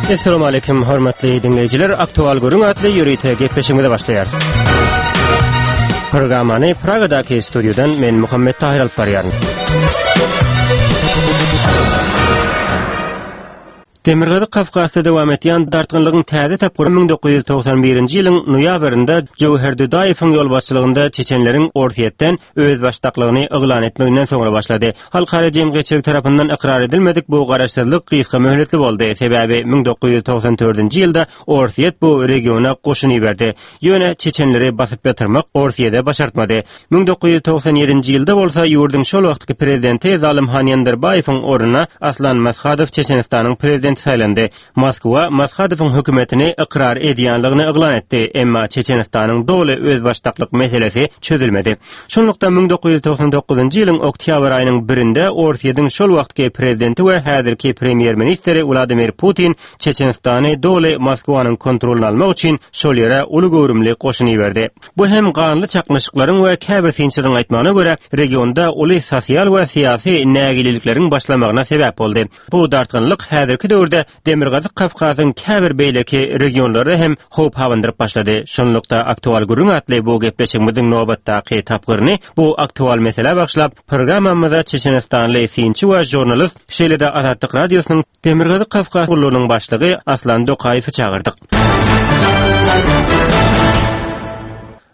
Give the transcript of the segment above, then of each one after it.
Essalamu aleýkum hormatly diňleýjiler. Aktual gürrüň atly ýörite gepleşigimize başlaýarys. Programmany Pragadaky studiýadan men Muhammet Tahir alyp barýaryn. Demirgazyk Kawkazda dowam edýän dartgynlygyň täze tapgyry 1991-nji ýylyň noýabrynda Jöwher Dudaýewiň ýolbaşçylygynda çeçenleriň Orsýetden özbaşdaklygyny yglan etmeginden soňra başlady. Halkara jemgyýetçiligi tarapyndan ykrar edilmedik bu garaşsyzlyk gysga möhletli boldy, sebäbi 1994-nji ýylda Orsýet bu regiona goşun iberdi. Ýöne çeçenleri basyp ýatyrmak Orsýede başartmady. 1997-nji ýylda bolsa ýurduň şol wagtky prezidenti Zalymhan Ýandarbaýewiň ornuna Aslan Mashadow Çeçenistanyň prezidenti saýlandy. Moskwa Mashadowyň hökümetini ykrar edýänligini yglan etdi, emma Çeçenistanyň doly özbaşdaklyk meselesi çözülmedi. Şunlukda 1999-njy ýylyň oktýabr aýynyň birinde Orsýetiň şol wagtky prezidenti we häzirki premýer-ministri Wladimir Putin Çeçenistany doly Moskwanyň kontrolyna almak üçin şol ýere uly göwrümli goşun iberdi. Bu hem ganly çaknyşyklaryň we käbir synçylaryň aýtmagyna görä, regionda uly sosial we syýasy nägilelikleriň başlamagyna sebäp boldy. Bu dartgynlyk häzirki döwürde Demirgazyk Kawkazyň käbir beýleki regionlaryna hem howp abandyryp başlady. Şunlukda Aktual gürrüň atly bu gepleşigimiziň nobatdaky tapgyryny bu aktual meselä bagyşlap, programmamyza çeçenistanly synçy we žurnalist, şeýle-de Azatlyk Radiosynyň Demirgazyk Kawkaz gullugynyň başlygy Aslan Dokaýewi çagyrdyk.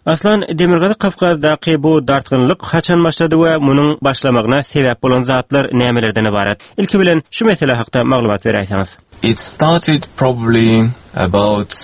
Aslan, Demirgazyk Kawkazdaky bu dartgynlyk haçan başlady we munuň başlamagyna sebäp bolan zatlar nämelerden ybarat? Ilki bilen, şu mesele hakda maglumat beräýseňiz. It started probably about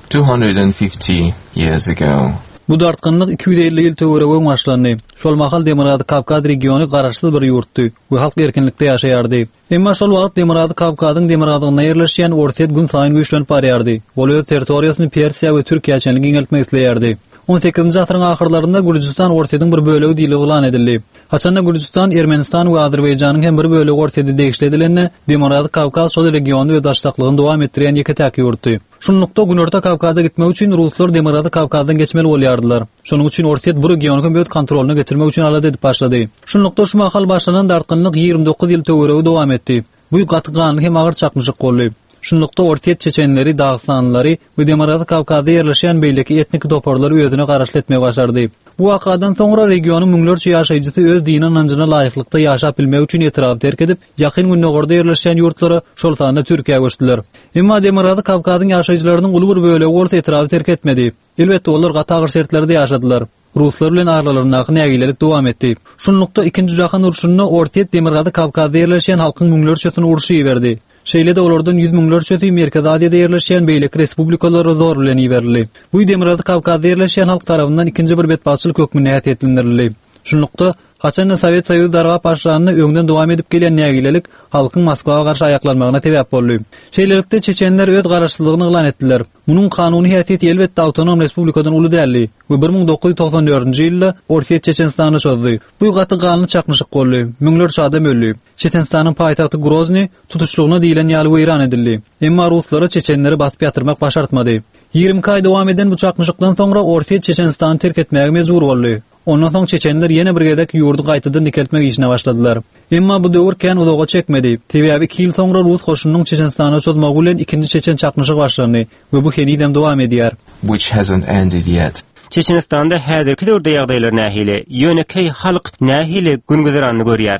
250 years ago. Bu dartgynlyk 250 ýyl töweregi öň başlandy. Şol mahal Demirgazyk Kawkaz regiony garaşsyz bir ýurtdy we halk erkinlikde ýaşaýardy. Emma şol wagt Demirgazyk Kawkazyň demirgazygynda ýerleşýän Orsýet günsaýyn güýçlenip barýardy. Ol öz territoriýasyny Persiýa we Türkiýä çenli giňeltmek isleýärdi. On sekizinji asyryň ahyrlarynda Gürjüstan Orsýetiň bir bölegi diýlip yglan edildi. Haçanda Gürjüstan, Ermenistan we Azerbaýjanyň hem bir bölegi Orsýete degişli edilende, Demirgazyk Kawkaz şol regionda özbaşdaklygyny dowam etdirýän ýeke-täk ýurtdy. Şunlukda, Günorta Kawkaza gitmek üçin ruslar Demirgazyk Kawkazdan geçmeli bolýardylar. Şonuň üçin Orsýet bu regiony hem öz kontrolyna getirmek üçin alada edip başlady. Şunlukda, şu mahal başlanan dartgynlyk 29 ýyl töweregi dowam etdi. Bu gaty ganly hem agyr çaknyşyk boldy. Şunlukda, Orsýet çeçenleri, dagystanlylary we Demirgazyk Kawkazda ýerleşýän beýleki etniki toparlary özüne garaşly etmegi başardy. Bu wakadan soňra regionyň müňlerçe ýaşaýjysy öz dini ynanjyna laýyklykda ýaşap bilmek üçin etraby terk edip, Ýakyn Gündogarda ýerleşýän ýurtlara, şol sanda Türkiýä göçdüler. Emma Demirgazyk Kawkazyň ýaşaýjylarynyň uly bir bölegi bolsa etraby terk etmedi. Elbetde, olar gaty agyr şertlerde ýaşadylar. Ruslar bilen aralaryndaky nägilelik dowam etdi. Şunlukda, Ikinji jahan urşunda Orsýet Demirgazyk Kawkazda ýerleşýän halkyň müňlerçesini urşa iberdi. Şeýle-de olardan ýüz müňlerçesi Merkezi Aziýada ýerleşýän beýleki respublikalara zor bilen iberildi. Bu Demirgazyk Kawkazda ýerleşýän halk tarapyndan ikinji bir betbagtçylyk hökmünde häsiýetlendirildi. Şunlukda, haçan-da Sowet Soýuzy dargap başlanda öňden dowam edip gelýän nägilelik halkyň Moskwa garşy aýaklanmagyna sebäp boldy. Şeýlelikde, çeçenler öz garaşsyzlygyny yglan etdiler. Munuň kanuny häsiýeti elbetde awtonom respublikadan uly däldi we 1994-nji ýylda Orsýet Çeçenistana çozdy. Bu gaty ganly çaknyşyk boldy. Müňlerçe adam öldi. Çeçenistanyň paýtagty Grozny tutuşlygyna diýlen ýaly weýran edildi. Emma ruslara çeçenleri basyp ýatyrmak başartmady. 22 aý dowam eden bu çaknyşykdan soňra Orsýet Çeçenistany terk etmäge mejbur boldy. Ondan soň çeçenler ýene bir gezek ýurdy gaýtadan dikeltmek işine başladylar. Emma bu döwür kän uzaga çekmedi. Sebäbi iki ýyl soňra rus goşunynyň Çeçenistana çozmagy bilen ikinji çeçen çaknyşygy başlandy we bu henizem dowam edýär. Which hasn't ended yet. Çeçenistanda häzirki döwürde ýagdaýlar nähili? Ýönekeý halk nähili gün-güzeranyny görýär?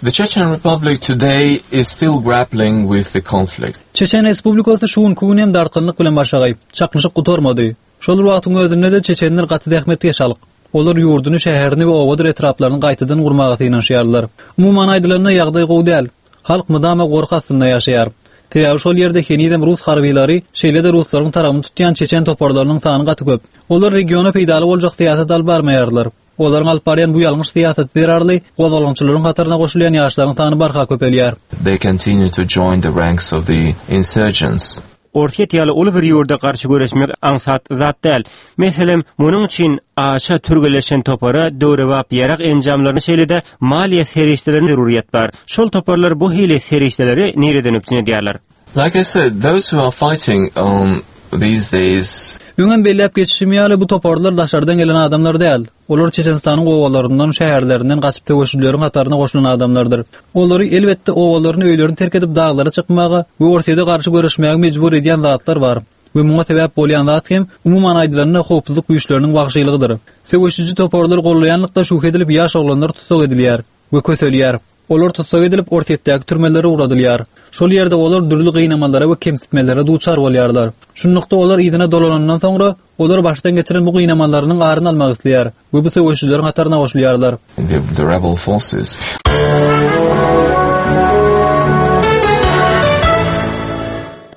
The Chechen Republic today is still grappling with the conflict. Çeçen Respublikasy şu günki gün hem dartgynlyk bilen başagaý. Çaknyşyk gutarmady. Şol bir wagtyň özünde-de çeçenler gaty zähmetkeş halk. Olar ýurduny, şäherini we obadyr etraplaryny gaýtadan gurmaga synanyşýarlar. Umuman aýdylanda, ýagdaý gowy däl. Halk mydama gorky astynda ýaşaýar. Sebäbi şol ýerde henizem rus harbylary, şeýle-de ruslaryň tarabyny tutýan çeçen toparlarynyň sany gaty köp. Olar regiona peýdaly boljak syýasat alyp barmaýarlar. Olaryň alyp barýan bu ýalňyş syýasaty zerarly gozgalaňçylaryň hataryna goşulýan ýaşlaryň sany barha köpelýär. They continue to join the ranks of the insurgents. Orsýet ýaly uly bir ýurda garşy göreşmek aňsat zat däl. Meselem, munuň üçin aşa türgenleşen topara döwrebap ýarag enjamlaryna şeýle-de maliýe serişdelerine zerurýet bar. Şol toparlar bu hili serişdeleri nireden üpjün edýärler? Like I said, those who are fighting um these days. Öňem belläp geçişim ýaly, bu toparlar daşardan gelen adamlar däl. Olar Çeçenistanyň obalaryndan, şäherlerinden gaçyp söweşijileriň hataryna goşulan adamlardyr. Olary, elbetde, obalaryny, öýlerini terk edip daglara çykmaga we Orsýete garşy göreşmäge mejbur edýän zatlar bar. We muňa sebäp bolýan zat hem, umuman aýdylanda, howpsuzlyk güýçleriniň wagşylygydyr. Söweşiji toparlary gollaýanlykda şübhe edilip ýaş oglanlar tussag edilýär we köselýär. Olar tussag edilip, Orsýetdäki türmelere ugradylýar. Şol ýerde olar dürli gynamalara we kemsitmelere duçar bolýarlar. Şunlukda olar yzyna dolanandan soňra, olar başdan geçiren bu gynamalarynyň aryny almak isleýär we bu söweşijileriň hataryna goşulýarlar. The, the rebel forces.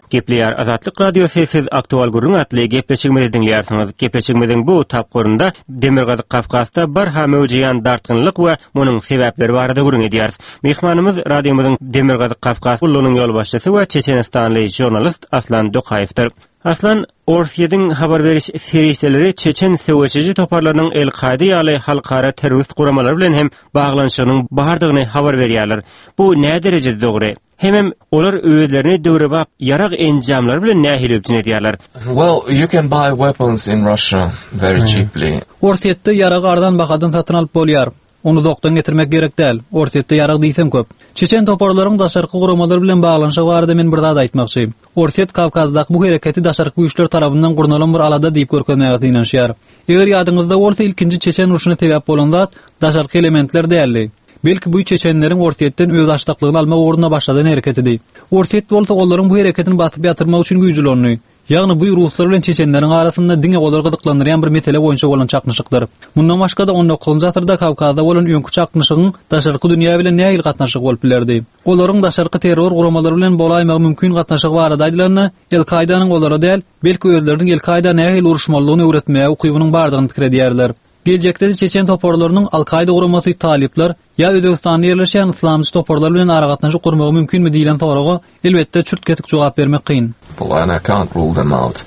Gepleýär Azatlyk Radiosy siz Aktual gürrüň atly gepleşigimizi diňleýärsiňiz. Gepleşigimiziň bu tapgyrynda Demirgazyk Kawkazda barha möwjeýän dartgynlyk we munuň sebäpleri barada gürrüň edýäris. Myhmanymyz radiomyzyň Demirgazyk Kawkaz gullugynyň ýolbaşçysy we çeçenistanly žurnalist Aslan Dokaýewdir. Aslan, Orsýetiň habar beriş serişdeleri çeçen söweşiji toparlarynyň El-Kaýda ýaly halkara terrorist guramalary bilen hem baglanyşygynyň bardygyny habar berýärler. Bu näderejede dogry? Hemem olar özlerini döwrebap ýarag enjamlary bilen nähili üpjün edýärler? Well, you can buy weapons in Russia very cheaply. Orsýetde ýaragy arzan bahadan satyn alyp bolýar. Ony uzakdan getirmek gerek däl. Orsýetde ýarag diýseň köp. Çeçen toparlaryň daşarky guramalar bilen baglanyşygy barada men bir zat aýtmakçy. Orsýet Kawkazdaky bu hereketi daşarky güýçler tarapyndan gurnalan bir alada diýip görkezmäge synanyşýar. Eger ýadyňyzda bolsa ilkinji çeçen urşuna sebäp bolan zat daşarky elementler däldi. Belki bu çeçenleriň Orsýetden özbaşdaklygyny almak ugrunda başladan hereketidi. Orsýet bolsa olaryň bu hereketini basyp ýatyrmak üçin güýç ulandy. Ýagny bu ruslar bilen çeçenleriň arasynda diňe olary gyzyklandyrýan bir mesele boýunça bolan çaknyşykdyr. Mundan başga-da on dokuzynjy asyrda Kawkazda bolan öňki çaknyşygyň daşarky dünýä bilen nähili gatnaşygy bolup bilerdi? Olaryň daşarky terror guramalary bilen bolaýmagy mümkin gatnaşygy barada aýdylanda, El-Kaýdanyň olara däl, belki özleriniň El-Kaýda nähili uruşmalydygyny öwretmäge ukybynyň bardygyny pikir edýärler. Geljekde-de çeçen toparlarynyň Al-Kaýda guramasy, talyplar ýa Özbegistanda ýerleşýän yslamçy toparlar bilen aragatnaşyk gurmagy mümkinmi diýlen soraga, elbetde, çürt-kesik jogap bermek kyn. And I can't rule them out.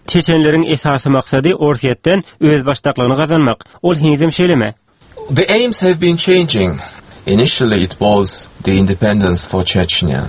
Çeçenleriň esasy maksady Orsýetden özbaşdaklygyny gazanmak. Ol henizem şeýlemi? The aims have been changing. Initially it was the independence for Chechnya.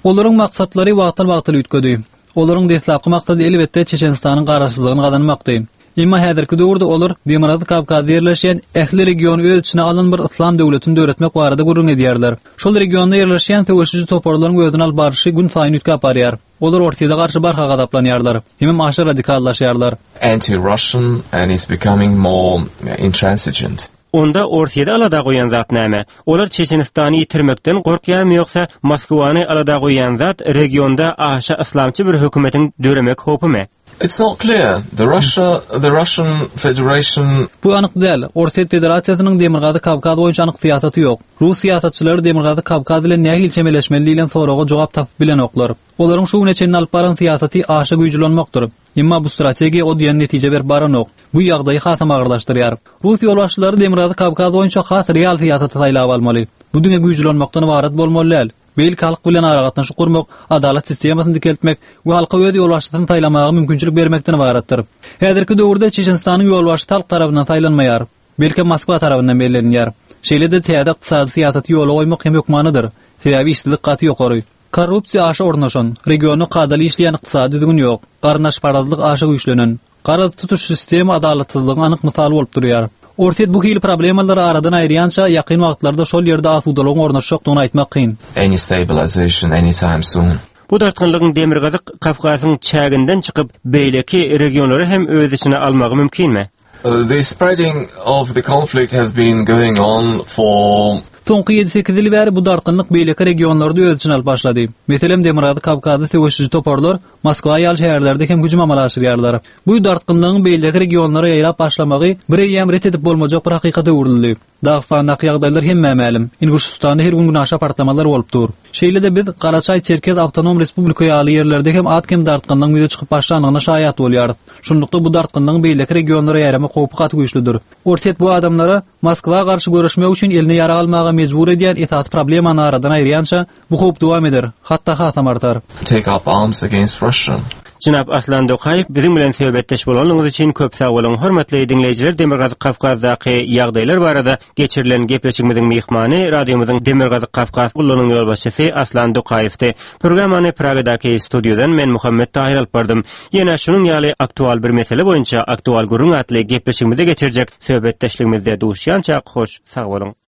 Olaryň maksatlary wagtal-wagtal üýtgedi. Olaryň deslapky maksady elbetde Çeçenistanyň garaşsyzlygyny gazanmakdy. Emma häzirki döwürde olar Demirgazyk Kawkazda ýerleşýän ähli regiony öz içine alan bir yslam döwletini döretmek barada gürrüň edýärler. Şol regionda ýerleşýän söweşiji toparlaryň özüni alyp barşy günsaýyn üýtgäp barýar. Olar Orsýete garşy barha gazaplanýarlar, hemem aşa radikallaşýarlar. Anti-Russian and is becoming more intransigent. Onda Orsýeti alada goýan zat näme? Olar Çeçenistany ýitirmekden gorkýarmy ýogsa Moskwany alada goýýan zat regionda aşa yslamçy bir hökümetiň döremek howpymy? It's not clear. The Russia, the Russian Federation. Bu anyk däl. Orsýet Federasiýasynyň Demirgazyk Kawkaz boýunça anyk syýasaty ýok. Rus syýasatçylary Demirgazyk Kawkaz bilen nähili çemeleşmeli diýlen soraga jogap tapyp bilenoklar. Olaryň şu güne çenli alyp baran syýasaty aşa güýç ulanmakdyr. Emma bu strategiýa o diýen netije berip baranok. Bu ýagdaýy hasam agyrlaşdyrýar. Rus ýolbaşçylary Demirgazyk Kawkaz boýunça has real syýasaty saýlap almaly. Bu diňe güýç ulanmakdan ybarat bolmaly däl. Belki halk bilen aragatnaşyk gurmak, adalat sistemasyny dikeltmek we halka öz ýolbaşçysyny saýlamaga mümkinçilik bermekden ybaratdyr. Häzirki döwürde Çeçenistanyň ýolbaşçysy halk tarapyndan saýlanmaýar. Belkem Moskwa tarapyndan bellenilýär. Şeýle-de täze ykdysady syýasaty ýola goýmak hem hökmanydyr. Sebäbi işsizlik gaty ýokary. Korrupsiýa aşa ornaşan, regionda kadaly işleýän ykdysady düzgün ýok, garyndaşparazlyk aşa güýçlenen. Garaz, tutuş sistema adalatsyzlygyň anyk mysaly bolup durýar. Orsýet bu hili problemalary aradan aýyrýança, ýakyn wagtlarda şol ýerde asudalygyň ornaşjakdygyny aýtmak kyn. Any stabilization anytime soon. Bu dartgynlygyň Demirgazyk Kawkazyň çäginden çykyp, beýleki regionlary hem öz içine almagy mümkinmi? The spreading of the conflict has been going on for. Soňky ýedi-sekiz ýyl bäri bu dartgynlyk beýleki regionlary-da öz içine alyp başlady. Meselem, Demirgazyk Kawkazda söweşiji toparlar Moskwa ýaly şäherlerde hem hüjüm amala aşyrýarlar. Bu dartgynlygyň beýleki regionlara ýaýrap başlamagy bireýýäm ret edip bolmajak bir hakykata öwrüldi. Dagystandaky ýagdaýlar hemmä mälim. Inguşystanda her gün günaşa partlamalar bolup dur. Şeýle-de biz Garaçaý-Çerkez awtonom respublika ýaly ýerlerde hem az-kem dartgynlygyň ýüze çykyp başlandygyna şaýat bolýarys. Şunlukda bu dartgynlygyň beýleki regionlara ýaýramak howpy gaty güýçlüdir. Orsýet bu adamlara Moskwa garşy göreşmek üçin eline ýarag almaga mejbur edýän esasy problemany aradan aýyrýança, bu howp dowam eder, hatda hasam artar. Take up arms against Russia. Jenap Aslan Dokaýew biziň bilen söhbetdeş bolanlygyňyz üçin köp sag boluň. Hormatly diňleýjiler Demirgazyk Kawkazdaky ýagdaýlar barada geçirilen gepleşigimiziň myhmany radiomyzyň Demirgazyk Kawkaz gullugynyň ýolbaşçysy Aslan Dokaýewdi. Programmany Pragadaky studiýadan men Muhammet Tahyr alyp bardym. Ýene şunuň ýaly aktual bir mesele boýunça Aktual gürrüň atly gepleşigimizde geçirjek söhbetdeşligimizde duşýançak hoş sag boluň.